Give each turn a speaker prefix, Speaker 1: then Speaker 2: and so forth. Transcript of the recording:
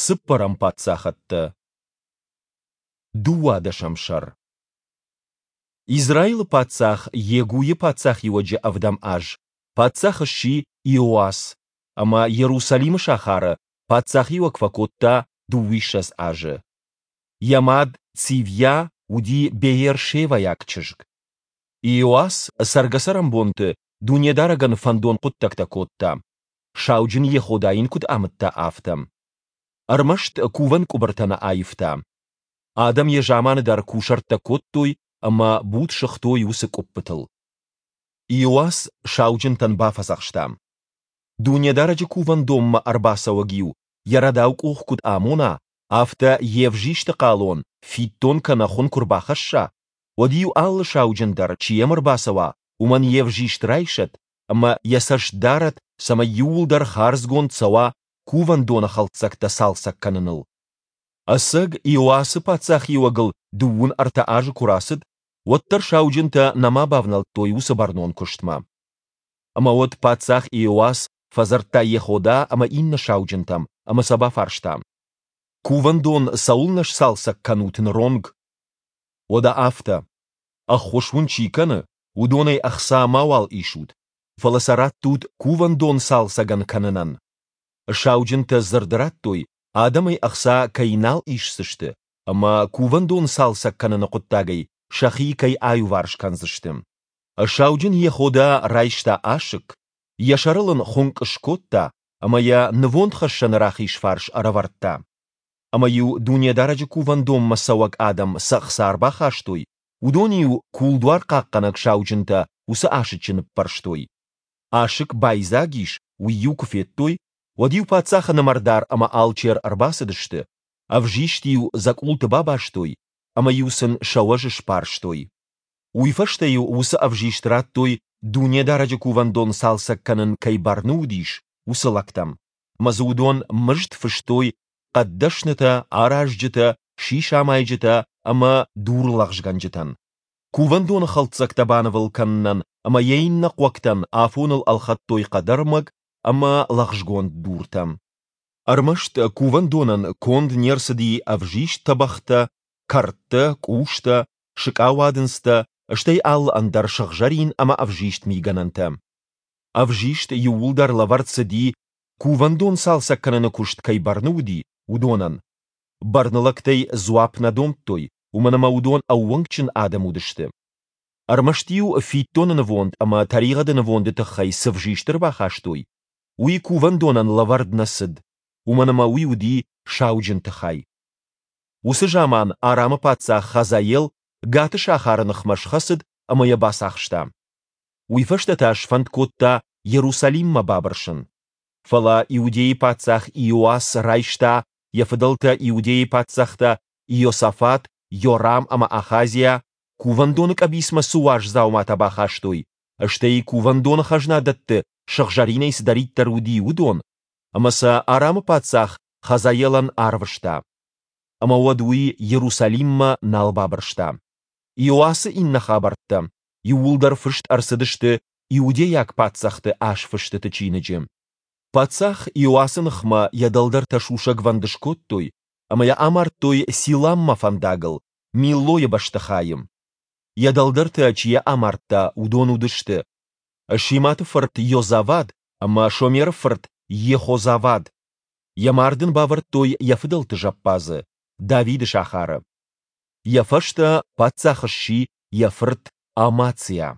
Speaker 1: Цыппӕрӕм паддзахӕдтӕ. Дыууадӕсӕм сӕр. Израилы паддзах Йегуйы паддзахиуӕджы ӕвдӕм аз паддзах сси Иоас, ӕмӕ Иерусалимы сахары паддзахиуӕг фӕкодта дыууиссӕдз азы. Йӕ мад Цивья уыди беер-шевӕйаг чызг. Иоас цӕргӕ-цӕрӕнбонты Дунедарӕгӕн фӕндон хъуыддӕгтӕ кодта, сауджын Йехода йын куыд амыдта, афтӕ. Ӕрмӕст кувӕн къуыбыртӕ нӕ аивта. Адӕм йӕ заманы дӕр кусӕрттӕ кодтой ӕмӕ буд сыгътой уыцы къуыппытыл. Иоас сауджынтӕн бафӕдзӕхста: Дунедарӕджы кувӕндонмӕ ӕрбацӕуӕг-иу йӕ рӕдау къух куыд амона, афтӕ йе взисты хъалон, фиддон кӕнӕ хуын куы рбахӕсса, уӕд-иу алы сауджын дӕр, чи йӕм ӕрбацӕуа, уымӕн йе взист райсӕд ӕмӕ йӕ цӕст дарӕд, цӕмӕй иууылдӕр хардзгонд цӕуа кувӕндоны хӕлддзӕгтӕ цалцӕг кӕныныл. Ӕцӕг Иоасы паддзахиуӕгыл 33 азы куы рацыд, уӕддӕр сауджынтӕ нӕма бавнӕлдтой уыцы бӕрнон куыстмӕ. Ӕмӕ уӕд паддзах Иоас фӕдзырдта Йехода ӕмӕ иннӕ сауджынтӕм ӕмӕ сӕ бафарста: Кувӕндон цӕуылнӕ сцалцӕг кӕнут ныронг? Уӕдӕ афтӕ, ӕххуыс уын чи кӕны, уыдонӕй ӕхца мауал исут, фӕлӕ сӕ раттут кувӕндон цалцӕгӕн кӕнынӕн. Сауджынтӕ дзырд радтой, адӕмӕй ӕхца кӕй нал исдзысты ӕмӕ кувӕндон цалцӕг кӕныны хъуыддагӕй сӕхи кӕй аиуварс кӕндзысты. Сауджын Йехода райста асыкк, йӕ сӕрыл ын хуынкъ скодта ӕмӕ йӕ нывондхӕссӕны рахиз фарс ӕрӕвӕрдта. Ӕмӕ-иу Дунедарӕджы кувӕндонмӕ цӕуӕг адӕм цы ӕхца ӕрбахастой, уыдон-иу кулдуар хъахъхъӕнӕг сауджынтӕ уыцы асыччы ныппӕрстой. Асыкк байдзаг ис, уый-иу куы федтой, уӕд-иу паддзахы нымӕрдар ӕмӕ алчер ӕрбацыдысты, ӕвзист-иу дзӕкъулты бабастой ӕмӕ-иу сын сӕ уӕз сбарстой. Уый фӕстӕ-иу уыцы ӕвзист радтой, Дунедарӕджы кувӕндон цалцӕг кӕнын кӕй бӕрны уыдис, уыцы лӕгтӕм, ӕмӕ дзы уыдон мызд фыстой хъӕддӕснытӕ, аразджытӕ, сисамайджытӕ ӕмӕ дурлӕгъзгӕнджытӕн. Кувӕндоны хӕлддзӕгтӕ банывыл кӕнынӕн ӕмӕ йӕ иннӕ хъуӕгтӕн афоныл ӕлхӕдтой хъӕдӕрмӕг ӕмӕ лӕгъзгонд дуртӕ. Ӕрмӕст кувӕндонӕн конд не рцыди ӕвзист тӕбӕгътӕ, кӕрдтӕ, къустӕ, сыкъауадындзтӕ, стӕй алы ӕндӕр сыгъзӕрин ӕмӕ ӕвзист мигӕнӕнтӕ. Ӕвзист иууылдӕр лӕвӕрд цыди, кувӕндон цалцӕг кӕныны куыст кӕй бӕрны уыди, уыдонӕн. Бӕрнылӕгтӕй дзуапп нӕ домдтой, уымӕн ӕмӕ уыдон ӕууӕнкджын адӕм уыдысты. Ӕрмӕст-иу фиддоны нывонд ӕмӕ тӕригъӕды нывонды тыххӕй цы взист ӕрбахастой, уый кувӕндонӕн лӕвӕрд нӕ цыд, уымӕн ӕмӕ уый уыди сауджынты хай. Уыцы заман Арамы паддзах Хазаел Гаты сахары ныхмӕ схӕцыд ӕмӕ йӕ бацахста. Уый фӕстӕ та сфӕнд кодта Иерусалиммӕ бабырсын. Фӕлӕ Иудейы паддзах Иоас райста йӕ фыдӕлтӕ Иудейы паддзӕхтӕ Иосафат, Йорам ӕмӕ Ахазиа кувӕндоны къӕбицмӕ цы уаз дзауматӕ бахастой, стӕй кувӕндоны хӕзнадӕтты сыгъзӕринӕй цыдӕриддӕр уыди, уыдон, ӕмӕ сӕ Арамы паддзах Хазаелӕн арвыста. Ӕмӕ уӕд уый Иерусалиммӕ нал бабырста. Иоасы иннӕ хабӕрттӕ иууылдӕр фыст ӕрцыдысты Иудейаг паддзӕхты азфыстыты чиныджы. Паддзах Иоасы ныхмӕ йӕ дӕлдӕртӕ сусӕгвӕнд скодтой ӕмӕ йӕ амардтой Силаммӕ фӕндагыл, Миллойы бӕстыхайы. Йӕ дӕлдӕртӕ, чи йӕ амардта, уыдон уыдысты Шиматы фырт Йозавад ӕмӕ Шомеры фырт Йехозавад. Йӕ мард ын бавӕрдтой йӕ фыдӕлты зӕппадзы, Давиды сахары. Йӕ фӕстӕ паддзах сси йӕ фырт Амациа.